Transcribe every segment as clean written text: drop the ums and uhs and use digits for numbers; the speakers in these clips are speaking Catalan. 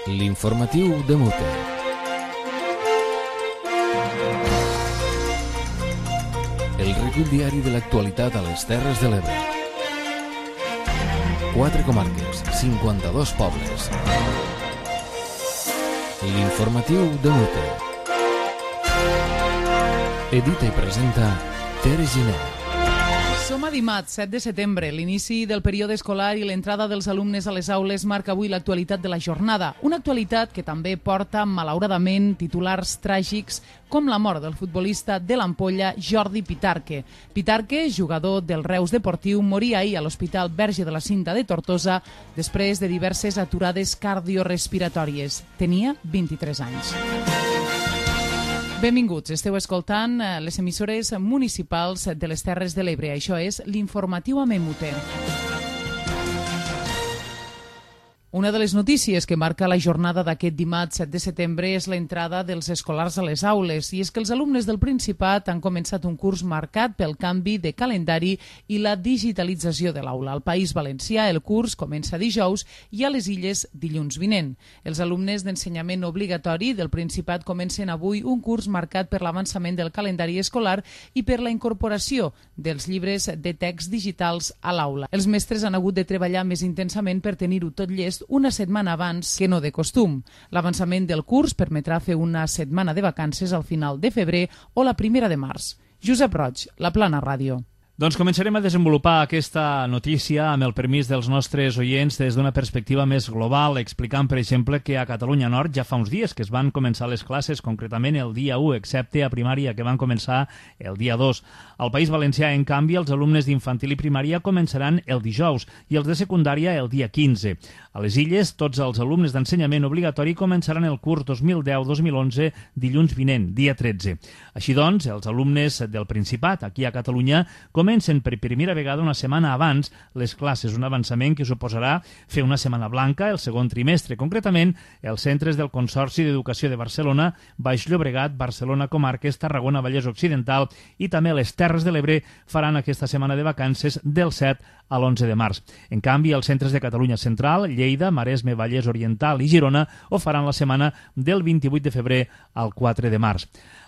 L'informatiu de Mute. El recull diari de l'actualitat a les Terres de l'Ebre. 4 comarques, 52 pobles. L'informatiu de Mute. Edita i presenta Tere Giner. Som a dimarts, 7 de setembre. L'inici del període escolar i l'entrada dels alumnes a les aules marca avui l'actualitat de la jornada. Una actualitat que també porta, malauradament, titulars tràgics com la mort del futbolista de l'Ampolla, Jordi Pitarque. Pitarque, jugador del Reus Deportiu, moria ahir a l'Hospital Verge de la Cinta de Tortosa després de diverses aturades cardiorespiratòries. Tenia 23 anys. Benvinguts, esteu escoltant les emissores municipals de les Terres de l'Ebre. Això és l'informatiu a Mute. Una de les notícies que marca la jornada d'aquest dimarts 7 de setembre és l'entrada dels escolars a les aules. I és que els alumnes del Principat han començat un curs marcat pel canvi de calendari i la digitalització de l'aula. Al País Valencià el curs comença dijous i a les Illes dilluns vinent. Els alumnes d'ensenyament obligatori del Principat comencen avui un curs marcat per l'avançament del calendari escolar i per la incorporació dels llibres de text digitals a l'aula. Els mestres han hagut de treballar més intensament per tenir-ho tot llest una setmana abans que no de costum. L'avançament del curs permetrà fer una setmana de vacances al final de febrer o la primera de març. Josep Roig, La Plana Ràdio. Doncs començarem a desenvolupar aquesta notícia amb el permís dels nostres oients des d'una perspectiva més global, explicant, per exemple, que a Catalunya Nord ja fa uns dies que es van començar les classes, concretament el dia 1, excepte a primària, que van començar el dia 2. Al País Valencià, en canvi, els alumnes d'infantil i primària començaran el dijous i els de secundària el dia 15. A les Illes, tots els alumnes d'ensenyament obligatori començaran el curs 2010-2011 dilluns vinent, dia 13. Així doncs, els alumnes del Principat, aquí a Catalunya, comencen per primera vegada una setmana abans les classes, un avançament que suposarà fer una setmana blanca el segon trimestre. Concretament, els centres del Consorci d'Educació de Barcelona, Baix Llobregat, Barcelona Comarques, Tarragona, Vallès Occidental i també les Terres de l'Ebre faran aquesta setmana de vacances del 7 a l'11 de març. En canvi, els centres de Catalunya Central, Lleida, Maresme, Vallès Oriental i Girona ho faran la setmana del 28 de febrer al 4 de març.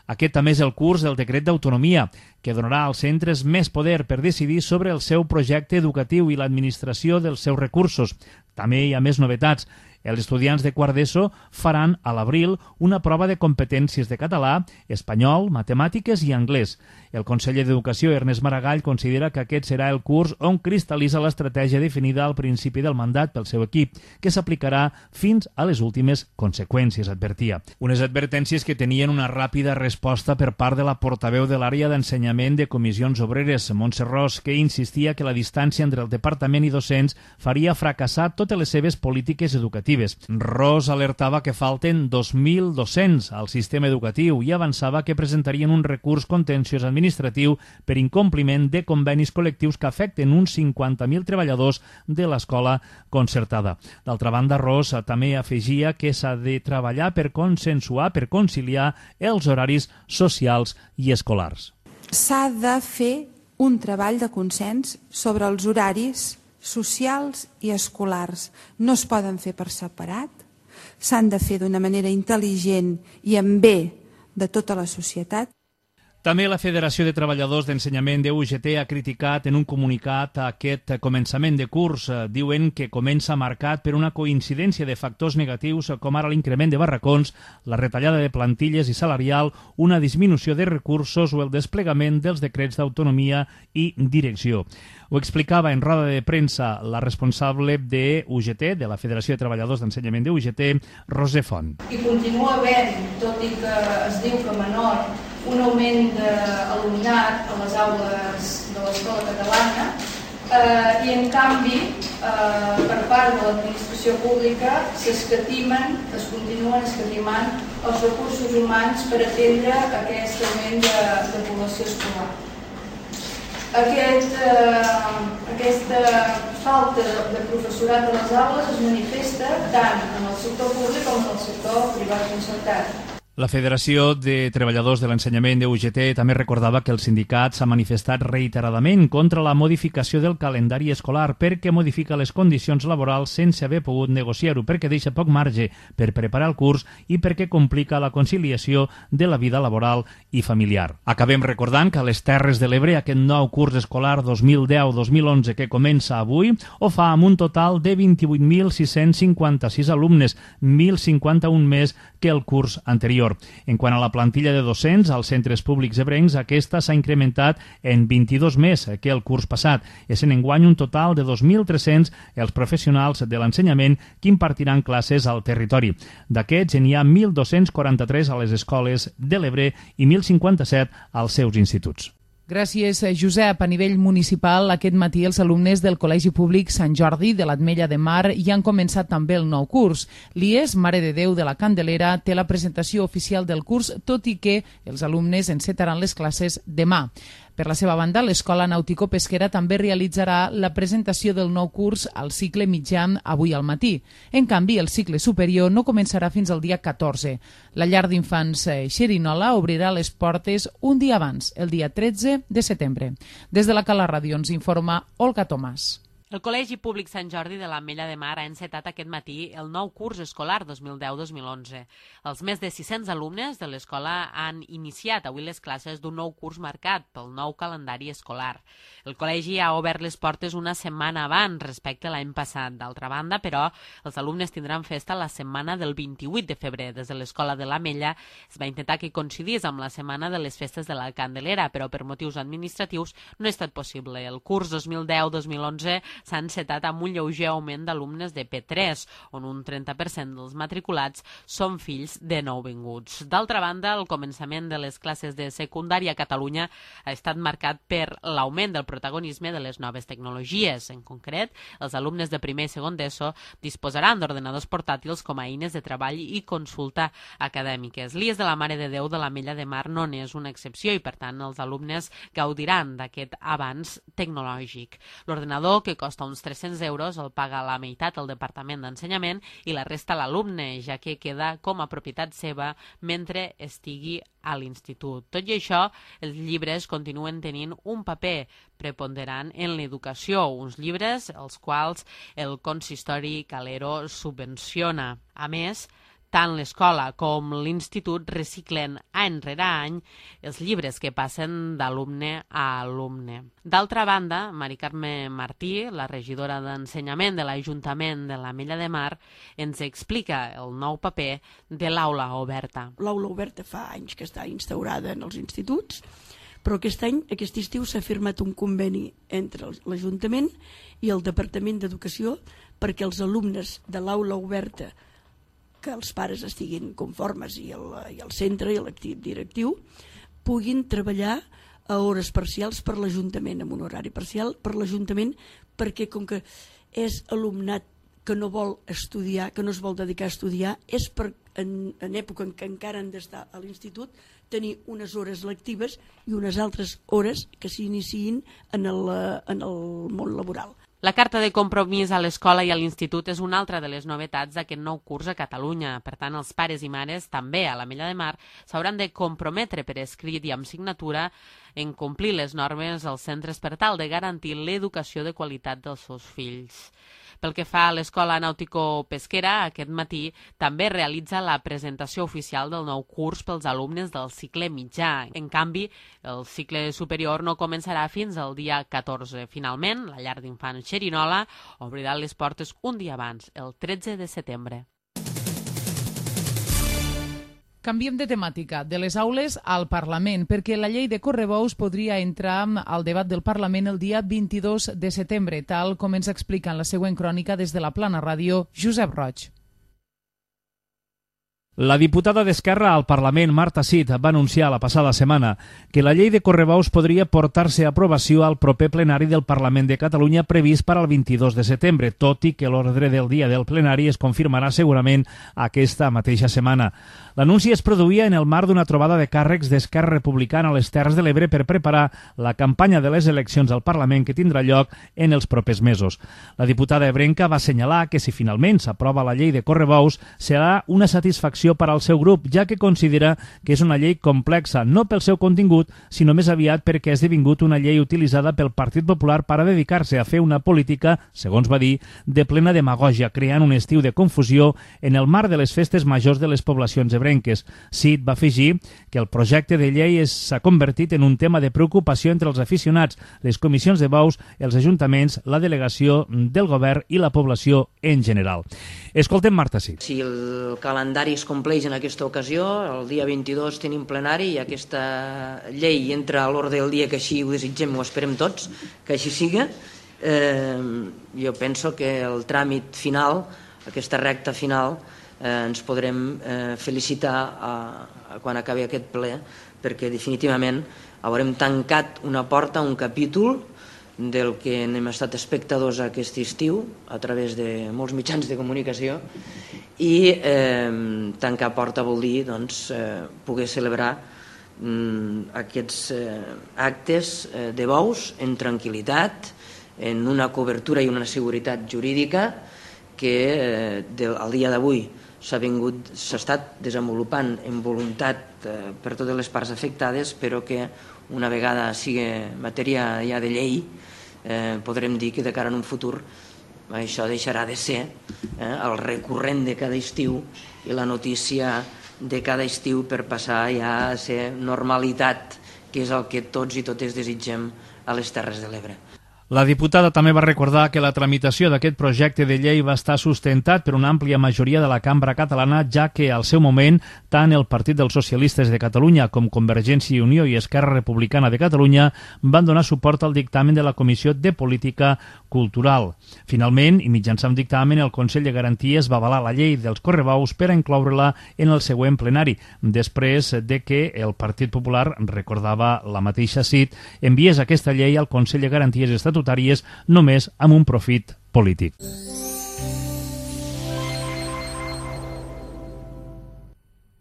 Aquest també és el curs del decret d'autonomia, que donarà als centres més poder per decidir sobre el seu projecte educatiu i l'administració dels seus recursos. També hi ha més novetats. Els estudiants de quart d'ESO faran a l'abril una prova de competències de català, espanyol, matemàtiques i anglès. El conseller d'Educació, Ernest Maragall, considera que aquest serà el curs on cristal·litza l'estratègia definida al principi del mandat pel seu equip, que s'aplicarà fins a les últimes conseqüències, advertia. Unes advertències que tenien una ràpida resposta per part de la portaveu de l'àrea d'ensenyament de Comissions Obreres, Montse Ros, que insistia que la distància entre el departament i docents faria fracassar totes les seves polítiques educatives. Ros alertava que falten 2.000 docents al sistema educatiu i avançava que presentarien un recurs contenciós administratiu per incompliment de convenis col·lectius que afecten uns 50.000 treballadors de l'escola concertada. D'altra banda, Ros també afegia que s'ha de treballar per consensuar, per conciliar els horaris socials i escolars. S'ha de fer un treball de consens sobre els horaris socials i escolars. No es poden fer per separat, s'han de fer d'una manera intel·ligent i en bé de tota la societat. També la Federació de Treballadors d'Ensenyament de UGT ha criticat en un comunicat aquest començament de curs. Diuen que comença marcat per una coincidència de factors negatius com ara l'increment de barracons, la retallada de plantilles i salarial, una disminució de recursos o el desplegament dels decrets d'autonomia i direcció. Ho explicava en roda de premsa la responsable de UGT, de la Federació de Treballadors d'Ensenyament de UGT, Roser Font. I continua havent, tot i que es diu que menor, un augment d'alumnat a les aules de l'escola catalana i en canvi per part de l'administració pública es continuen escatimant els recursos humans per atendre aquest augment de població escolar. Aquesta falta de professorat a les aules es manifesta tant en el sector públic com en el sector privat concertat. La Federació de Treballadors de l'Ensenyament de UGT també recordava que el sindicat s'ha manifestat reiteradament contra la modificació del calendari escolar perquè modifica les condicions laborals sense haver pogut negociar-ho, perquè deixa poc marge per preparar el curs i perquè complica la conciliació de la vida laboral i familiar. Acabem recordant que a les Terres de l'Ebre aquest nou curs escolar 2010-2011 que comença avui ho fa amb un total de 28.656 alumnes, 1.051 més que el curs anterior. En quant a la plantilla de docents als centres públics ebrencs, aquesta s'ha incrementat en 22 més que el curs passat, essent enguany un total de 2.300 els professionals de l'ensenyament que impartiran classes al territori. D'aquests, n'hi ha 1.243 a les escoles de l'Ebre i 1.057 als seus instituts. Gràcies, Josep. A nivell municipal, aquest matí els alumnes del Col·legi Públic Sant Jordi de l'Ametlla de Mar ja han començat també el nou curs. L'IES Mare de Déu de la Candelera té la presentació oficial del curs, tot i que els alumnes encetaran les classes demà. Per la seva banda, l'Escola Nàutico-Pesquera també realitzarà la presentació del nou curs al cicle mitjà avui al matí. En canvi, el cicle superior no començarà fins al dia 14. La llar d'infants Xerinola obrirà les portes un dia abans, el dia 13 de setembre. Des de la Cala Ràdio ens informa Olga Tomàs. El Col·legi Públic Sant Jordi de l'Ametlla de Mar ha encetat aquest matí el nou curs escolar 2010-2011. Els més de 600 alumnes de l'escola han iniciat avui les classes d'un nou curs marcat pel nou calendari escolar. El col·legi ha obert les portes una setmana abans respecte a l'any passat. D'altra banda, però, els alumnes tindran festa la setmana del 28 de febrer. Des de l'escola de l'Ametlla es va intentar que coincidís amb la setmana de les festes de la Candelera, però per motius administratius no ha estat possible. El curs 2010-2011 s'ha encetat amb un lleuger augment d'alumnes de P3, on un 30% dels matriculats són fills de nouvinguts. D'altra banda, el començament de les classes de secundària a Catalunya ha estat marcat per l'augment del protagonisme de les noves tecnologies. En concret, els alumnes de primer i segon d'ESO disposaran d'ordenadors portàtils com a eines de treball i consulta acadèmiques. L'IES de la Mare de Déu de l'Ametlla de Mar no n'és una excepció i, per tant, els alumnes gaudiran d'aquest avanç tecnològic. L'ordenador, que costa uns 300 euros, el paga la meitat el Departament d'Ensenyament i la resta l'alumne, ja que queda com a propietat seva mentre estigui a l'institut. Tot i això, els llibres continuen tenint un paper preponderant en l'educació, uns llibres els quals el consistori Calero subvenciona. A més, tant l'escola com l'institut reciclen any rere any els llibres que passen d'alumne a alumne. D'altra banda, Mari Carme Martí, la regidora d'Ensenyament de l'Ajuntament de l'Ametlla de Mar, ens explica el nou paper de l'aula oberta. L'aula oberta fa anys que està instaurada en els instituts, però aquest estiu s'ha firmat un conveni entre l'Ajuntament i el Departament d'Educació perquè els alumnes de l'aula oberta, que els pares estiguin conformes i el centre i l'equip directiu puguin treballar a hores parcials per l'Ajuntament, amb un horari parcial per l'Ajuntament, perquè com que és alumnat que no vol estudiar, que no es vol dedicar a estudiar, és per, en època en què encara han d'estar a l'institut, tenir unes hores lectives i unes altres hores que s'iniciïn en el món laboral. La carta de compromís a l'escola i a l'institut és una altra de les novetats d'aquest nou curs a Catalunya. Per tant, els pares i mares, també a l'Ametlla de Mar, s'hauran de comprometre per escrit i amb signatura en complir les normes als centres per tal de garantir l'educació de qualitat dels seus fills. Pel que fa a l'escola nàutico-pesquera, aquest matí també realitza la presentació oficial del nou curs pels alumnes del cicle mitjà. En canvi, el cicle superior no començarà fins al dia 14. Finalment, la llar d'infants Xerinola obrirà les portes un dia abans, el 13 de setembre. Canviem de temàtica, de les aules al Parlament, perquè la llei de correbous podria entrar al debat del Parlament el dia 22 de setembre, tal com ens explica en la següent crònica des de la Plana Ràdio, Josep Roig. La diputada d'Esquerra al Parlament, Marta Cid, va anunciar la passada setmana que la llei de correbous podria portar-se a aprovació al proper plenari del Parlament de Catalunya previst per al 22 de setembre, tot i que l'ordre del dia del plenari es confirmarà segurament aquesta mateixa setmana. L'anunci es produïa en el marc d'una trobada de càrrecs d'Esquerra Republicana a les Terres de l'Ebre per preparar la campanya de les eleccions al Parlament que tindrà lloc en els propers mesos. La diputada ebrenca va assenyalar que si finalment s'aprova la llei de correbous serà una satisfacció preocupació per al seu grup, ja que considera que és una llei complexa, no pel seu contingut, sinó més aviat perquè ha esdevingut una llei utilitzada pel Partit Popular per a dedicar-se a fer una política, segons va dir, de plena demagògia, creant un estiu de confusió en el marc de les festes majors de les poblacions ebrenques. Cid va afegir que el projecte de llei s'ha convertit en un tema de preocupació entre els aficionats, les comissions de bous, els ajuntaments, la delegació del govern i la població en general. Escoltem Marta Cid. Si el calendari es compleix en aquesta ocasió, el dia 22 tenim plenari i aquesta llei entra a l'ordre del dia, que així ho desitgem, ho esperem tots, que així siga. Jo penso que el tràmit final, aquesta recta final, ens podrem felicitar quan acabi aquest ple, perquè definitivament haurem tancat una porta, un capítol del que hem estat espectadors aquest estiu a través de molts mitjans de comunicació, i tancar porta vol dir poder celebrar aquests actes de bous en tranquil·litat, en una cobertura i una seguretat jurídica que al dia d'avui s'ha estat desenvolupant en voluntat per totes les parts afectades, però que una vegada sigui matèria ja de llei podrem dir que de cara a un futur això deixarà de ser el recurrent de cada estiu i la notícia de cada estiu per passar ja a ser normalitat, que és el que tots i totes desitgem a les Terres de l'Ebre. La diputada també va recordar que la tramitació d'aquest projecte de llei va estar sustentat per una àmplia majoria de la cambra catalana, ja que al seu moment tant el Partit dels Socialistes de Catalunya com Convergència i Unió i Esquerra Republicana de Catalunya van donar suport al dictamen de la Comissió de Política Cultural. Finalment, i mitjançant dictamen, el Consell de Garanties va avalar la llei dels correbous per a incloure-la en el següent plenari, després de que el Partit Popular, recordava la mateixa Cid, enviés aquesta llei al Consell de Garanties estatutàries només amb un profit polític.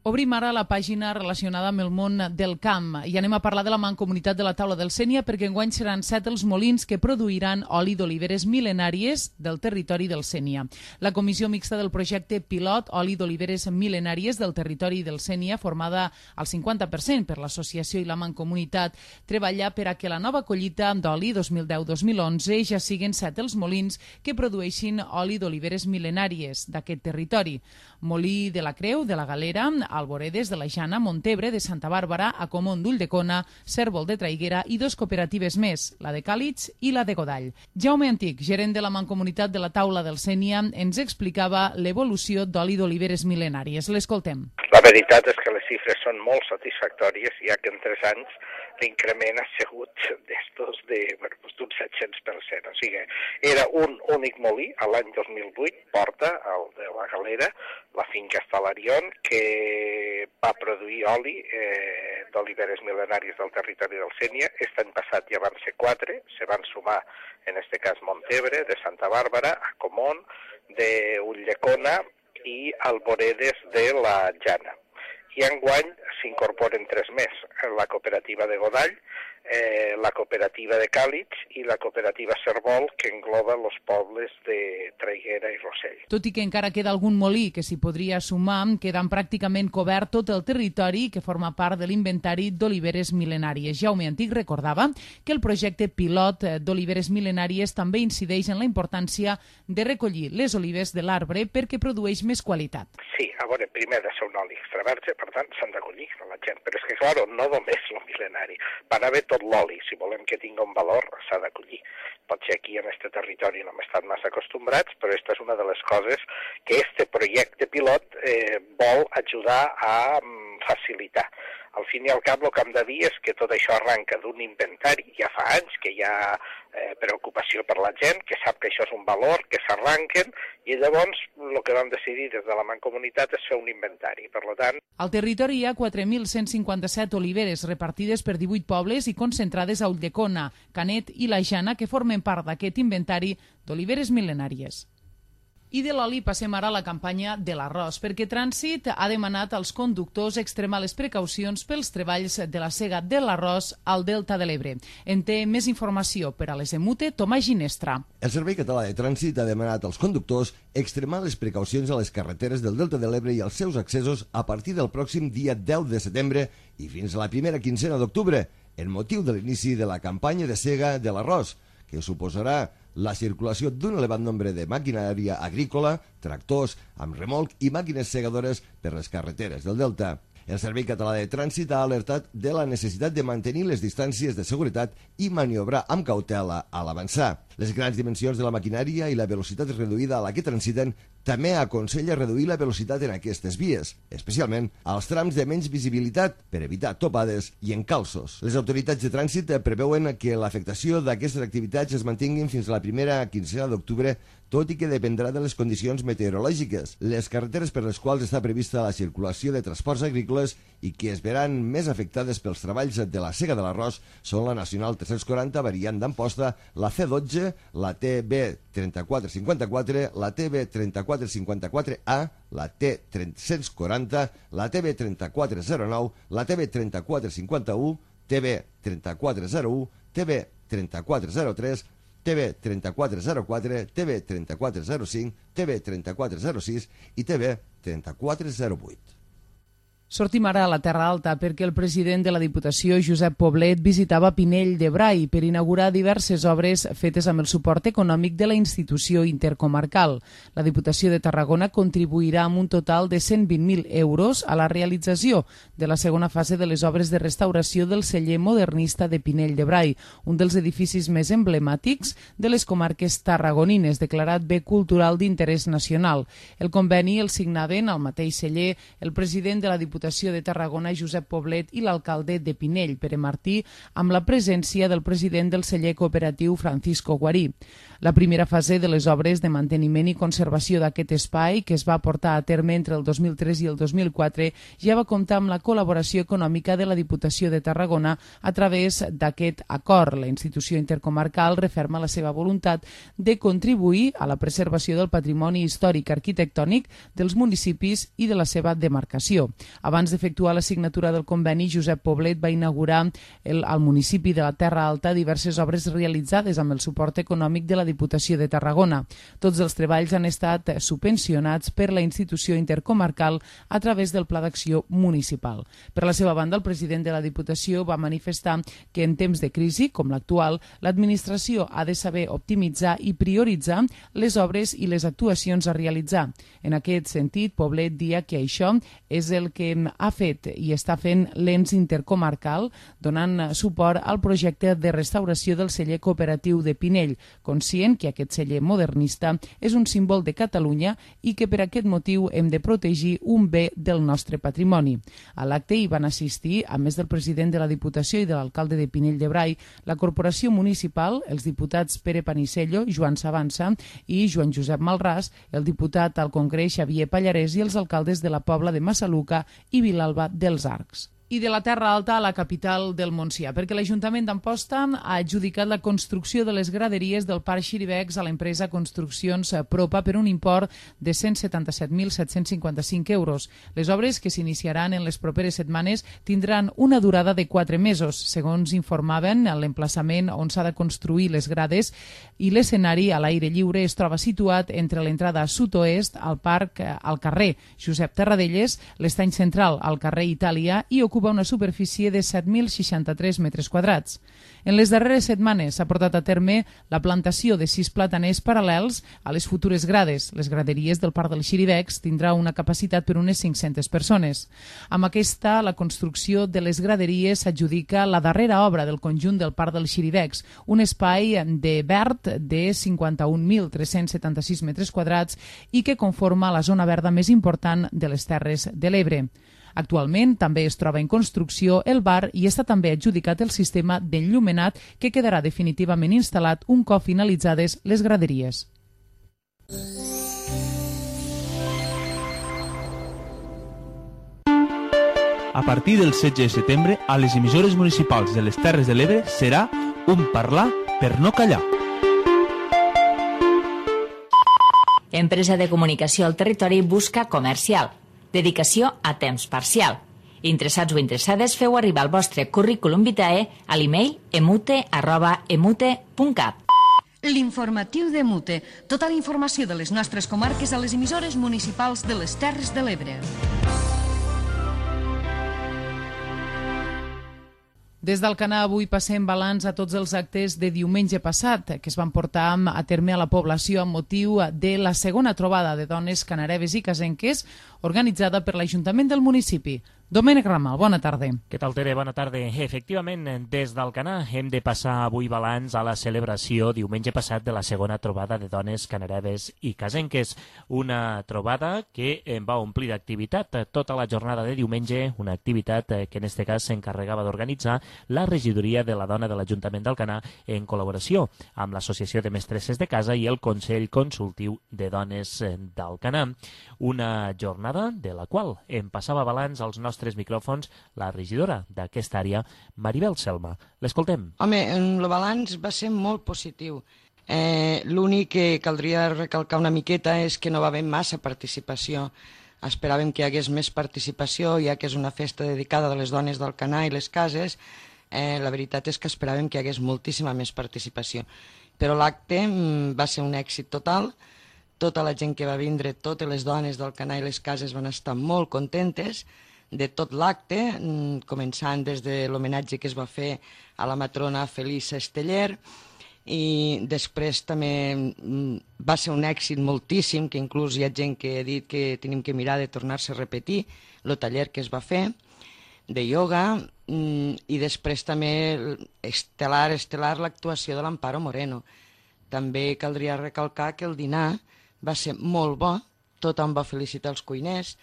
Obrim ara la pàgina relacionada amb el món del camp i anem a parlar de la Mancomunitat de la Taula del Sénia, perquè enguany seran 7 els molins que produiran oli d'oliveres mil·lenàries del territori del Sénia. La comissió mixta del projecte pilot oli d'oliveres mil·lenàries del territori del Sénia, formada al 50% per l'associació i la Mancomunitat, treballa per a que la nova collita d'oli 2010-2011 ja siguin 7 els molins que produeixin oli d'oliveres mil·lenàries d'aquest territori. Molí de la Creu, de la Galera, Alboredes, de la Jana, Montebre, de Santa Bàrbara, Acomont d'Ulldecona, Cérvol de Traiguera i 2 cooperatives més, la de Càlits i la de Godall. Jaume Antic, gerent de la Mancomunitat de la Taula del Sénia, ens explicava l'evolució d'oli d'oliveres mil·lenàries. L'escoltem. La veritat és que les xifres són molt satisfactòries, ja que en 3 anys l'increment ha sigut d'un 700%. O sigui, era un únic molí a l'any 2008, Porta, el de la Galera, la finca Estalarion, que va produir oli d'oliveres mil·lenàries del territori del Sénia. Aquest any passat ja van ser 4, se van sumar, en este cas, Montebre, de Santa Bàrbara, Acomont, d'Ulldecona i Alboredes de la Jana. I enguany s'incorporen 3 més, la cooperativa de Godall, la cooperativa de Càlits i la cooperativa Cérvol, que engloba els pobles de Traiguera i Rossell. Tot i que encara queda algun molí que s'hi podria sumar, quedant pràcticament cobert tot el territori que forma part de l'inventari d'oliveres mil·lenàries. Jaume Antic recordava que el projecte pilot d'oliveres mil·lenàries també incideix en la importància de recollir les olives de l'arbre perquè produeix més qualitat. Sí, a veure, primer ha de ser un oli extra verge, per tant s'han de collir la gent, però és que, clar, no només el mil·lenari, van haver tot l'oli, si volem que tingui un valor, s'ha de collir. Potser aquí en aquest territori no hem estat massa acostumbrats, però aquesta és una de les coses que este projecte pilot vol ajudar a facilitar. Al fin i al cap, el que hem de dir és que tot això arranca d'un inventari, ja fa anys que hi ha preocupació per la gent, que sap que això és un valor, que s'arranquen, i llavors el que vam decidir des de la Mancomunitat és fer un inventari. Per tant, al territori hi ha 4.157 oliveres repartides per 18 pobles i concentrades a Ulldecona, Canet i la Jana, que formen part d'aquest inventari d'oliveres mil·lenàries. I de l'oli passem ara a la campanya de l'arròs, perquè Trànsit ha demanat als conductors extremar les precaucions pels treballs de la sega de l'arròs al Delta de l'Ebre. En té més informació per a les Emute, Tomàs Ginestra. El Servei Català de Trànsit ha demanat als conductors extremar les precaucions a les carreteres del Delta de l'Ebre i als seus accessos a partir del pròxim dia 10 de setembre i fins a la primera quincena d'octubre, en motiu de l'inici de la campanya de sega de l'arròs, que suposarà la circulació d'un elevat nombre de maquinària agrícola, tractors, amb remolc i màquines segadores per les carreteres del Delta. El Servei Català de Trànsit ha alertat de la necessitat de mantenir les distàncies de seguretat i maniobrar amb cautela a l'avançar. Les grans dimensions de la maquinària i la velocitat reduïda a la que transiten també aconsella reduir la velocitat en aquestes vies, especialment als trams de menys visibilitat per evitar topades i encalços. Les autoritats de trànsit preveuen que l'afectació d'aquestes activitats es mantinguin fins a la primera quincena d'octubre, tot i que dependrà de les condicions meteorològiques. Les carreteres per les quals està prevista la circulació de transports agrícoles i que es veran més afectades pels treballs de la sega de l'arròs són la Nacional 340 variant d'Amposta, la C12, la TB3454, la TB3454A, la T340, la TB3409, la TB3451, TB3401, TB3403, TB3404, TB3405, TB3406 i TB3408. Sortim ara a la Terra Alta perquè el president de la Diputació, Josep Poblet, visitava Pinell de Brai per inaugurar diverses obres fetes amb el suport econòmic de la institució intercomarcal. La Diputació de Tarragona contribuirà amb un total de 120.000 euros a la realització de la segona fase de les obres de restauració del celler modernista de Pinell de Brai, un dels edificis més emblemàtics de les comarques tarragonines, declarat bé cultural d'interès nacional. El conveni el signaven al mateix celler el president de la Diputació de Tarragona, Josep Poblet, i l'alcalde de Pinell, Pere Martí, amb la presència del president del celler cooperatiu, Francisco Guarí. La primera fase de les obres de manteniment i conservació d'aquest espai, que es va portar a terme entre el 2003 i el 2004, ja va comptar amb la col·laboració econòmica de la Diputació de Tarragona a través d'aquest acord. La institució intercomarcal referma la seva voluntat de contribuir a la preservació del patrimoni històric arquitectònic dels municipis i de la seva demarcació. Abans d'efectuar la signatura del conveni, Josep Poblet va inaugurar al municipi de la Terra Alta diverses obres realitzades amb el suport econòmic de la Diputació de Tarragona. Tots els treballs han estat subvencionats per la institució intercomarcal a través del Pla d'Acció Municipal. Per la seva banda, el president de la Diputació va manifestar que en temps de crisi, com l'actual, l'administració ha de saber optimitzar i prioritzar les obres i les actuacions a realitzar. En aquest sentit, Poblet dia que això és el que ha fet i està fent l'ENS intercomarcal, donant suport al projecte de restauració del celler cooperatiu de Pinell, conscient que aquest celler modernista és un símbol de Catalunya i que per aquest motiu hem de protegir un bé del nostre patrimoni. A l'acte hi van assistir, a més del president de la Diputació i de l'alcalde de Pinell de Brai, la Corporació Municipal, els diputats Pere Panisello, Joan Savança i Joan Josep Malràs, el diputat al Congrés Xavier Pallarès i els alcaldes de la Pobla de Massaluca i Vilalba dels Arcs. I de la Terra Alta a la capital del Montsià, perquè l'Ajuntament d'Amposta ha adjudicat la construcció de les graderies del Parc Xiribecs a l'empresa Construccions Propa per un import de 177.755 euros. Les obres, que s'iniciaran en les properes setmanes, tindran una durada de 4 mesos. Segons informaven, l'emplaçament on s'ha de construir les grades i l'escenari a l'aire lliure es troba situat entre l'entrada sud-oest al parc al carrer Josep Terradelles, l'estany central al carrer Itàlia i ocupa una superfície de 7.063 metres quadrats. En les darreres setmanes s'ha portat a terme la plantació de 6 plataners paral·lels a les futures grades. Les graderies del Parc del Xiribecs tindrà una capacitat per unes 500 persones. Amb aquesta, la construcció de les graderies s'adjudica la darrera obra del conjunt del Parc del Xiribecs, un espai de verd de 51.376 metres quadrats i que conforma la zona verda més important de les Terres de l'Ebre. Actualment també es troba en construcció el bar i està també adjudicat el sistema d'enllumenat que quedarà definitivament instal·lat un cop finalitzades les graderies. A partir del 16 de setembre, a les emissores municipals de les Terres de l'Ebre serà un parlar per no callar. Empresa de comunicació al territori busca comercial. Dedicació a temps parcial. Interessats o interessades, feu arribar el vostre currículum vitae a l'email emute@emute.cat. L'informatiu de Mute. Tota la informació de les nostres comarques a les emissores municipals de les Terres de l'Ebre. Des d'Alcanar avui passem balanç a tots els actes de diumenge passat que es van portar a terme a la població amb motiu de la segona trobada de dones canareves i casenques organitzada per l'Ajuntament del municipi. Domènec Ramal, bona tarda. Què tal, Tere? Bona tarda. Efectivament, des d'Alcanar hem de passar avui balanç a la celebració diumenge passat de la segona trobada de dones canareves i casenques. Una trobada que va omplir d'activitat tota la jornada de diumenge, una activitat que en aquest cas s'encarregava d'organitzar la regidoria de la dona de l'Ajuntament d'Alcanar en col·laboració amb l'Associació de Mestresses de Casa i el Consell Consultiu de Dones d'Alcanar. Una jornada de la qual em passava balanç als nostres micròfons la regidora d'aquesta àrea, Maribel Selma. L'escoltem. Home, el balanç va ser molt positiu. L'únic que caldria recalcar una miqueta és que no va haver massa participació. Esperàvem que hi hagués més participació, ja que és una festa dedicada a les dones d'Alcanar i les cases. La veritat és que esperàvem que hi hagués moltíssima més participació. Però l'acte va ser un èxit total. Tota la gent que va vindre, totes les dones d'Alcanar i les cases van estar molt contentes de tot l'acte, començant des de l'homenatge que es va fer a la matrona Felisa Esteller, i després també va ser un èxit moltíssim, que inclús hi ha gent que ha dit que tenim que mirar de tornar-se a repetir el taller que es va fer de ioga, i després també estel·lar l'actuació de l'Amparo Moreno. També caldria recalcar que el dinar va ser molt bo, tothom va felicitar els cuiners,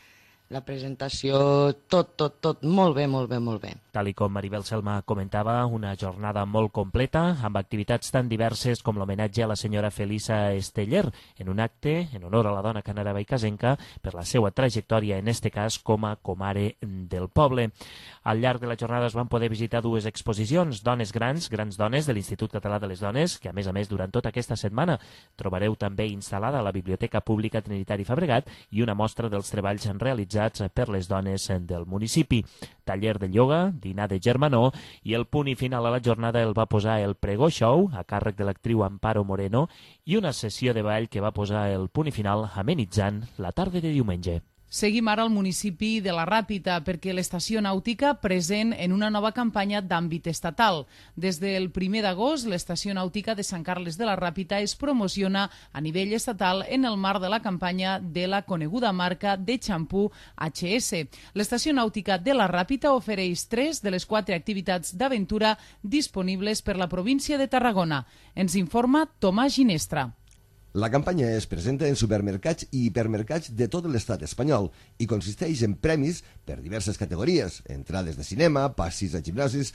la presentació, tot, molt bé, molt bé, molt bé. Tal com Maribel Selma comentava, una jornada molt completa, amb activitats tan diverses com l'homenatge a la senyora Felisa Esteller, en un acte en honor a la dona canareva i casenca per la seva trajectòria, en este cas, com a comare del poble. Al llarg de la jornada es van poder visitar dues exposicions, Dones Grans, Grans Dones, de l'Institut Català de les Dones, que a més, durant tota aquesta setmana trobareu també instal·lada a la Biblioteca Pública Trinitari Fabregat, i una mostra dels treballs realitzats per les dones del municipi. Taller de ioga, dinar de germanor, i el punt i final a la jornada el va posar el Pregó Show, a càrrec de l'actriu Amparo Moreno, i una sessió de ball que va posar el punt i final amenitzant la tarda de diumenge. Seguim ara al municipi de la Ràpita perquè l'estació nàutica present en una nova campanya d'àmbit estatal. Des del 1 d'agost, l'estació nàutica de Sant Carles de la Ràpita es promociona a nivell estatal en el marc de la campanya de la coneguda marca de xampú HS. L'estació nàutica de la Ràpita ofereix 3 de les 4 activitats d'aventura disponibles per la província de Tarragona. Ens informa Tomàs Ginestra. La campanya es presenta en supermercats i hipermercats de tot l'estat espanyol i consisteix en premis per diverses categories, entrades de cinema, passis a gimnasis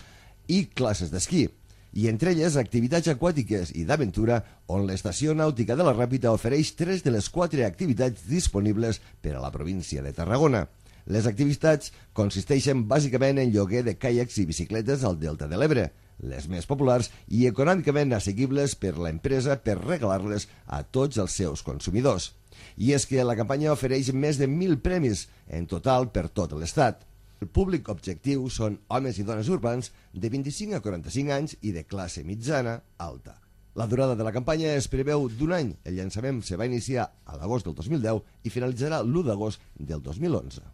i classes d'esquí. I entre elles activitats aquàtiques i d'aventura on l'estació nàutica de la Ràpita ofereix 3 de les 4 activitats disponibles per a la província de Tarragona. Les activitats consisteixen bàsicament en lloguer de caiacs i bicicletes al Delta de l'Ebre, les més populars i econòmicament assequibles per l'empresa per regalar-les a tots els seus consumidors. I és que la campanya ofereix més de 1.000 premis en total per tot l'estat. El públic objectiu són homes i dones urbans de 25 a 45 anys i de classe mitjana alta. La durada de la campanya es preveu d'un any. El llançament se va iniciar a l'agost del 2010 i finalitzarà l'1 d'agost del 2011.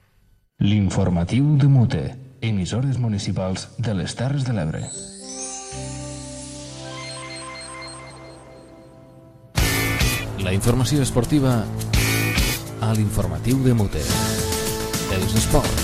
L'informatiu de Mute, emissores municipals de les Terres de l'Ebre. La informació esportiva a l'informatiu de Mute. Els esports.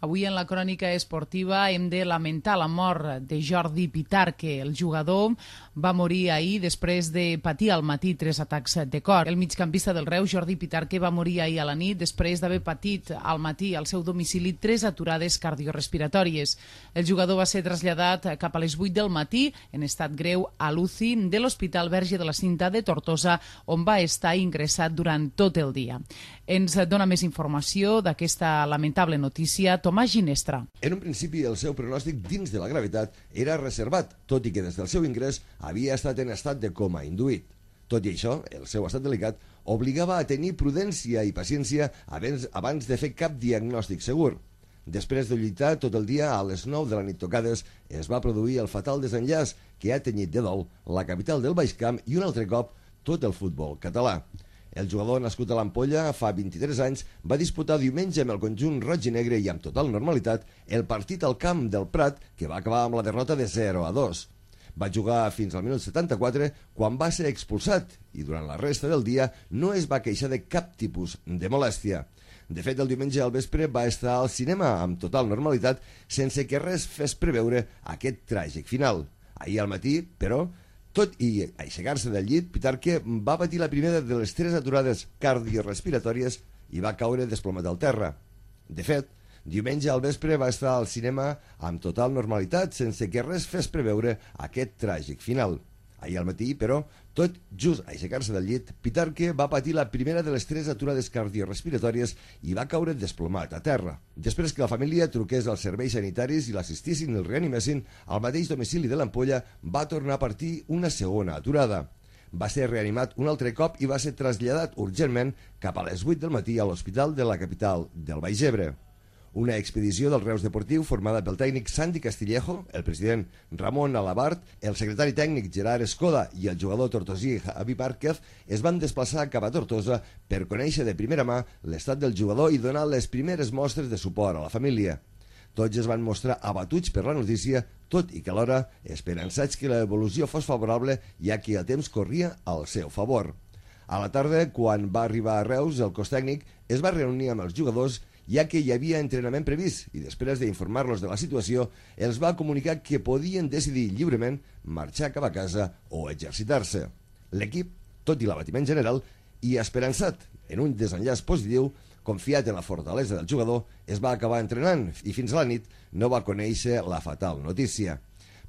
Avui en la crònica esportiva hem de lamentar la mort de Jordi Pitarque. El jugador va morir ahir després de patir al matí 3 atacs de cor. El migcampista del Reus, Jordi Pitarque, va morir ahir a la nit després d'haver patit al matí al seu domicili 3 aturades cardiorespiratòries. El jugador va ser traslladat cap a les 8 del matí en estat greu a l'UCI de l'Hospital Verge de la Cinta de Tortosa, on va estar ingressat durant tot el dia. Ens dona més informació d'aquesta lamentable notícia Tomàs Ginestra. En un principi, el seu pronòstic dins de la gravetat era reservat, tot i que des del seu ingrés havia estat en estat de coma induït. Tot i això, el seu estat delicat obligava a tenir prudència i paciència abans de fer cap diagnòstic segur. Després de lluitar tot el dia, a les 9 de la nit tocades, es va produir el fatal desenllaç que ha tenyit de dol la capital del Baix Camp i un altre cop tot el futbol català. El jugador nascut a l'Ampolla fa 23 anys va disputar diumenge amb el conjunt roig i negre i amb total normalitat el partit al camp del Prat que va acabar amb la derrota de 0-2. Va jugar fins al minut 74 quan va ser expulsat i durant la resta del dia no es va queixar de cap tipus de molèstia. De fet, el diumenge al vespre va estar al cinema amb total normalitat sense que res fes preveure aquest tràgic final. Ahir al matí, però, tot i aixecar-se del llit, Pitarque va patir la primera de les 3 aturades cardiorespiratòries i va caure desplomat al terra. De fet, diumenge al vespre va estar al cinema amb total normalitat sense que res fes preveure aquest tràgic final. Ahir al matí, però, tot just a aixecar-se del llit, Pitarque va patir la primera de les 3 aturades cardiorespiratòries i va caure desplomat a terra. Després que la família truqués als serveis sanitaris i l'assistissin i el reanimessin, al mateix domicili de l'Ampolla va tornar a partir una segona aturada. Va ser reanimat un altre cop i va ser traslladat urgentment cap a les 8 del matí a l'hospital de la capital del Baix Ebre. Una expedició del Reus Deportiu formada pel tècnic Santi Castillejo, el president Ramon Alabart, el secretari tècnic Gerard Escoda i el jugador tortosí Javi Márquez es van desplaçar cap a Tortosa per conèixer de primera mà l'estat del jugador i donar les primeres mostres de suport a la família. Tots es van mostrar abatuts per la notícia, tot i que alhora esperançats que l'evolució fos favorable, ja que el temps corria al seu favor. A la tarda, quan va arribar a Reus, el cos tècnic es va reunir amb els jugadors ja que hi havia entrenament previst i després d'informar-los de la situació els va comunicar que podien decidir lliurement marxar cap a casa o exercitar-se. L'equip, tot i l'abatiment general i esperançat en un desenllaç positiu, confiat en la fortalesa del jugador, es va acabar entrenant i fins a la nit no va conèixer la fatal notícia.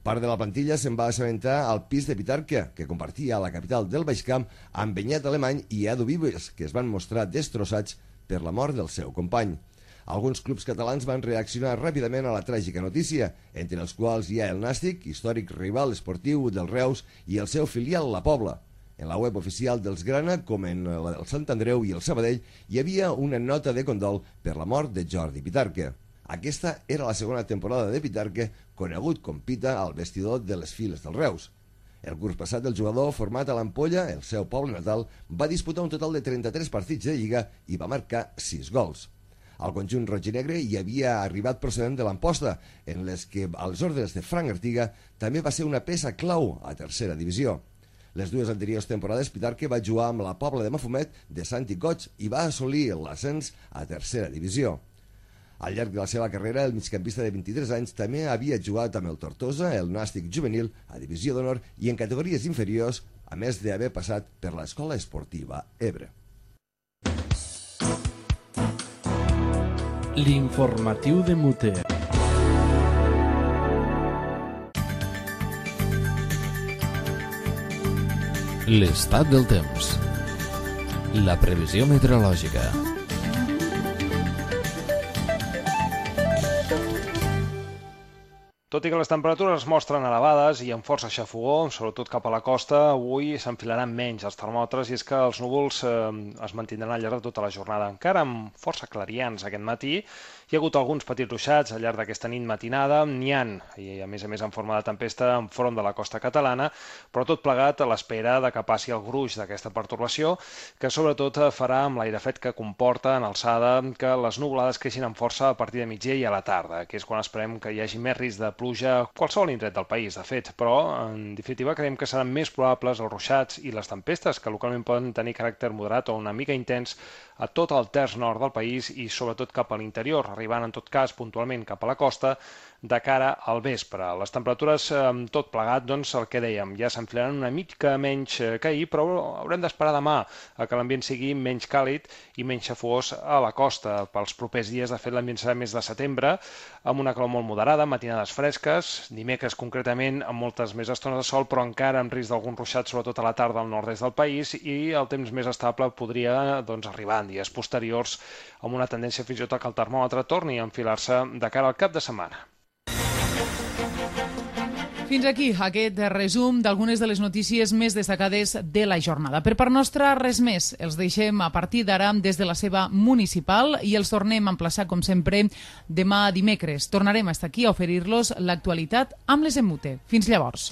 Part de la plantilla se'n va assabentar al pis de Pitarque, que compartia a la capital del Baix Camp amb Benyat Alemany i Edu Vives, que es van mostrar destrossats per la mort del seu company. Alguns clubs catalans van reaccionar ràpidament a la tràgica notícia, entre els quals hi ha el Nàstic, històric rival esportiu del Reus, i el seu filial La Pobla. En la web oficial dels Grana, com en la del Sant Andreu i el Sabadell, hi havia una nota de condol per la mort de Jordi Pitarque. Aquesta era la segona temporada de Pitarque, conegut com Pita al vestidor de les files del Reus. El curs passat, el jugador, format a l'Ampolla, el seu poble natal, va disputar un total de 33 partits de Lliga i va marcar 6 gols. Al conjunt roig i negre hi havia arribat procedent de l'Amposta, en les que, als ordres de Frank Artiga, també va ser una peça clau a tercera divisió. Les dues anteriors temporades, Pitarque va jugar amb la Pobla de Mafumet de Santi Coig i va assolir l'ascens a tercera divisió. Al llarg de la seva carrera, el migcampista de 23 anys també havia jugat amb el Tortosa, el Nàstic juvenil, a divisió d'honor i en categories inferiors, a més d'haver passat per l'Escola Esportiva Ebre. L'informatiu de Mute. L'estat del temps. La previsió meteorològica. Tot i que les temperatures es mostren elevades i amb força xafogó, sobretot cap a la costa, avui s'enfilaran menys els termòmetres i és que els núvols es mantindran al llarg de tota la jornada. Encara amb força clarians aquest matí, hi ha hagut alguns petits ruixats al llarg d'aquesta nit matinada, n'hi ha, i a més en forma de tempesta enfront de la costa catalana, però tot plegat a l'espera de que passi el gruix d'aquesta pertorbació, que sobretot farà amb l'aire fred que comporta en alçada que les nuvolades creixin amb força a partir de migdia i a la tarda, que és quan esperem que hi hagi més risc de pluja a qualsevol indret del país, de fet, però en definitiva creiem que seran més probables els ruixats i les tempestes, que localment poden tenir caràcter moderat o una mica intens a tot el terç nord del país i sobretot cap a l'interior, arribant en tot cas puntualment cap a la costa de cara al vespre. Les temperatures tot plegat, doncs el que dèiem, ja s'enfilaran una mica menys que ahir, però haurem d'esperar demà a que l'ambient sigui menys càlid i menys xafogós a la costa. Pels propers dies, de fet, l'ambient serà més de setembre, amb una calor molt moderada, matinades fresques, dimecres concretament amb moltes més estones de sol, però encara amb risc d'algun ruixat, sobretot a la tarda al nord-est del país, i el temps més estable podria arribar en dies posteriors amb una tendència fins i tot que el termòmetre torni a enfilar-se de cara al cap de setmana. Fins aquí aquest resum d'algunes de les notícies més destacades de la jornada. Per part nostra, res més. Els deixem a partir d'ara des de la seva municipal i els tornem a emplaçar, com sempre, demà dimecres. Tornarem a estar aquí a oferir-los l'actualitat amb les Emute. Fins llavors.